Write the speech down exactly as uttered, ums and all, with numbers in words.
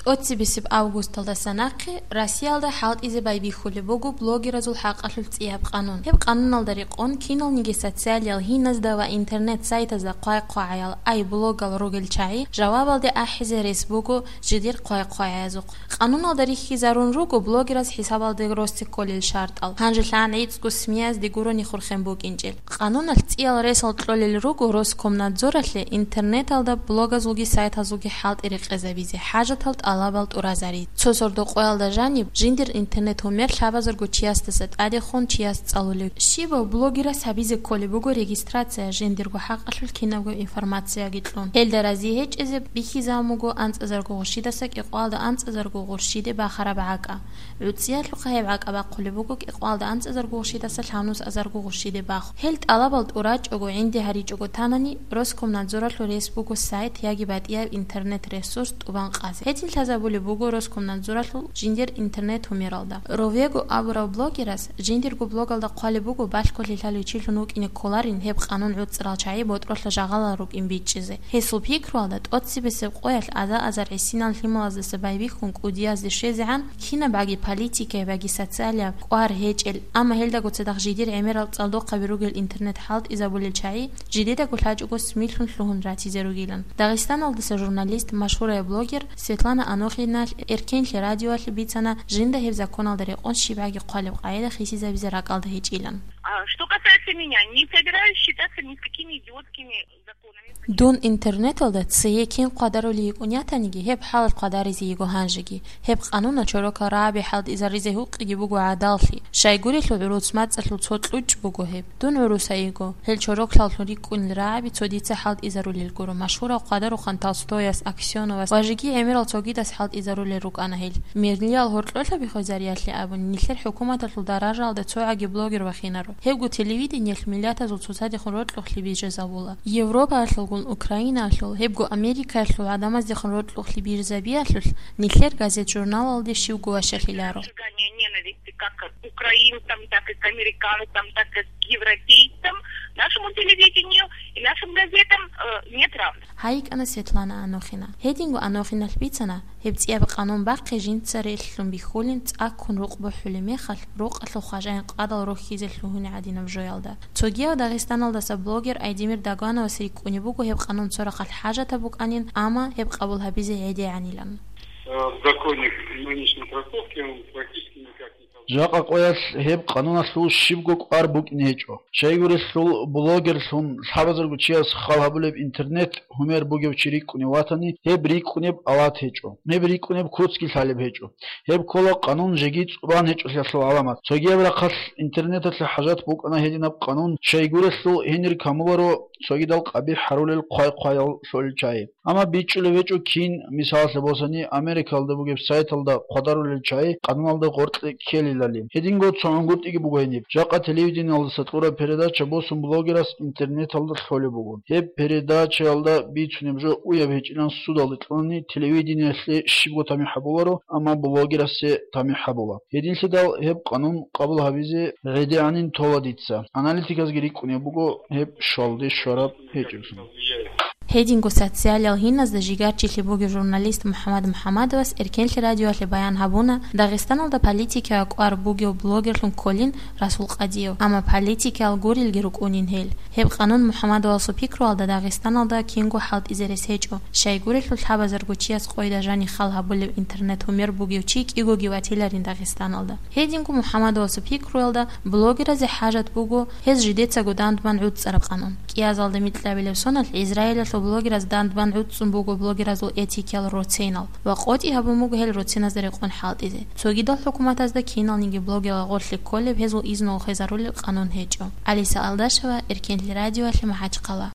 ТӀоцебесеб августалдаса нахъе Россиялда хӀалтӀизе байбихьулеб буго блогеразул хӀакъалъулъ цӀияб къанун. Гьеб къануналда рекъон киналниги социалиял гьиназда ва интернет-сайтазда хъвай-хъвагӀаял, ай блогал ругел чагӀи жавабалде ахӀизе рес буго жидер хъвай-хъвагӀаязухъ. Къануналда рихьизарун руго блогераз хӀисабалде росте кколел шартӀал. Гьанже лъан гӀицӀго СМИ-язде гурони хурхен букӀинчӀел. Къануналъ цӀиял ресал кьолел руго Роскомнадзоралъе интернеталда блогазулги сайтазулги хӀалтӀи рекъезабизе хӀажатал тӀалабал тӀуразари. Цо сордо къоялда жаниб, жиндир интернет-гьумер лъабазарго чиясдаса тӀадехун чияс цӀалулев. Щибав блогерас гьабизе кколеб буго регистрация жиндирго хӀакъалъулъ кинабго информацияги кьун. Гьелда рази гьечӀезе бихьизабун буго анцӀазарго гъурщидаса кӀикъоялда анцӀазарго гъурщиде бахараб гӀакӀа. ГӀуцӀиялъухъа гьеб гӀакӀа бахъулеб буго кӀикъоялда анцӀазарго гъурщидаса лъабнусазарго гъурщиде бахун. Гьел тӀалабал тӀурачӀого, гӀинди гьаричӀого танани, Роскомнадзоралъул рес буго сайт яги батӀияб интернет-ресурс тӀубан къазе. Гьедин лъазабулеб буго Роскомнадзоралъул жиндир интернет-гьумералда. Ровего абурав блогерас жиндирго блогалда хъвалеб буго балъголъи лъалев чилъун вукӀине кколарин гьеб къанун гӀуцӀарал чагӀи ботӀролъа жагъалал рукӀин бичӀчӀизе. Гьесул пикруялда, тӀоцебесеб къоялъ аза-азар гӀисинал лъималаздаса байбихьун кӀудиязде щвезегӀан, кинаб баги политикаяб, баги социалияб кӀвар гьечӀел, амма гьелдаго цадахъ жидер гӀемерал цӀалдохъаби ругел интернет хӀалтӀизабулел чагӀи жидедаго лъачӀого СМИ-лъун лъугьун ратизе ругилан. Дагъистаналдаса журналист, машгьурай блогер Светлана Анохиналъ Эркенлъи радиоялъе бицана жинда гьеб законалда рекъон щибгӀаги хъвалеб къагӀида хисизабизе ракӀалда гьечӀилан. А что касается меня, не собираюсь считаться ни с какими идиотскими законами. Дун интернеталда цее кин хъвадарулей йикӀун ятаниги, гьеб хӀалалъ хъвадаризе йиго гьанжеги. Гьеб къануна чорокал рагӀаби хӀалтӀизаризе гьукъиги буго гӀадаллъи. Щайгурелъул гӀурус мацӀалъул цо кьучӀ буго гьеб. Дун гӀурусайиго, гьел чороклъаллъун рикӀкӀунел рагӀаби цо дица хӀалтӀизарулел гуро, машгьурав хъвадарухъан Толстояс, Аксеновас ва жеги гӀемерал цогидас хӀалтӀизарулел рукӀана гьел. Мерлиял гьоркьолъаби хвезариялъе абун, нилъер хӀукуматалъул даражаялда цогӀаги блогер вахинаро. Гьебго телевидениялъ миллатазул цоцадехун рокьухълъи бижизабула. Европаялъулгун Украинаялъул, гьебго Америкаялъул гӀадамаздехун рокьухълъи бижизабиялъулъ нилъер газет-журналалде щивго ващалъиларо. Разжигание ненависти как к украинцам, так и к американцам, так и к европейцам, нашему телевидению и нашим газетам, э, нет равных. ГьайикӀана Светлана Анохина. Гьединго Анохиналъ бицана, гьеб цӀияб къанун бахъи жинца релълъун бихьулин, цӀаккун рукъ бухӀулеб мехалъ, рукъалъул хважаин къадал рохьизе лъугьуне гӀадинаб жоялда. Цогияв Дагъистаналдаса блогер Айдемир Дагановас рикӀкӀунеб буго гьеб къанун цо рахъалъ хӀажатаб букӀанин, амма гьеб къабул гьабизе гӀедегӀанилан. Э, в законе при нынешней трактовке он практически никак не Жакъа къоялъ гьеб къануналъул щибго кӀвар букӀине гьечӀо. Щайгурелъул блогерлъун лъабазарго чияс хал гьабулеб интернет-гьумер бугев чи рикӀкӀунев ватани, гьеб рикӀкӀунеб ават гьечӀо. Гьеб рикӀкӀунеб куцги лъалеб гьечӀо. Гьеб ккола къанун жеги цӀубан гьечӀолъиялъул гӀаламат. Цогияб рахъалъ интернеталъе хӀажат букӀана гьединаб къанун, щайгурелъул гьенир камуларо цогидал къабихӀ гьарулел хъвай-хъваял лъолел чагӀи. Амма бичӀчӀулев гьечӀо кин, мисалалъе босани, Америкалда бугеб сайталда хъвадарулел чагӀи къануналда гъоркье ккелилали. Гьединго цо гӀунгутӀиги буго гьениб. Жакъа телевидениялдаса кьураб передача босун блогерас интернеталда лъолеб буго. Гьеб передачаялда бицунеб жо уяб гьечӀилан судалде кьунани телевидениялъе щибго тамихӀ гьабуларо, амма блогерасде тамихӀ гьабула. Гьединлъидал гьеб къанун къабул гьабизе гӀедегӀанин тола дица. Аналитиказги рикӀкӀунеб буго гьеб щвалде щвараб гьечӀеблъун. Гьединго социалиял гьиназда жигарчилъи бугев журналист МухӀаммад МухӀаммадовас Эркенлъи радиоялъе баян гьабуна, Дагъистаналда политикияв кӀвар бугев блогерлъун кколин Расул Къадиев, амма политикиял гурелги рукӀунин гьел. Гьеб къанун МухӀаммадовасул пикруялда Дагъистаналда кинго хӀалтӀизе рес гьечӀо, щайгурелъул лъабазарго чияс къойда жани хал гьабулев интернет-гьумер бугев чи кӀигоги ватиларин Дагъистаналда. Гьединго МухӀаммадовасул пикруялда блогеразе хӀажат буго гьез жидецаго дандбан гӀуцӀцӀараб къанун. КӀиазалда микьабилеб соналъ Израилалъул блогераз дандбан гӀуцӀцӀун буго блогеразул этикиял роценал ва къотӀи гьабун буго гьел роценазда рекъон хӀалтӀизе. Цогидал хӀукуматазда киналниги блогерал гъорлъе кколеб гьезул изну хвезарулел къанун гьечӀо. Алиса Алдашева, Эркенлъи радиоялъе, МахӀачхъала.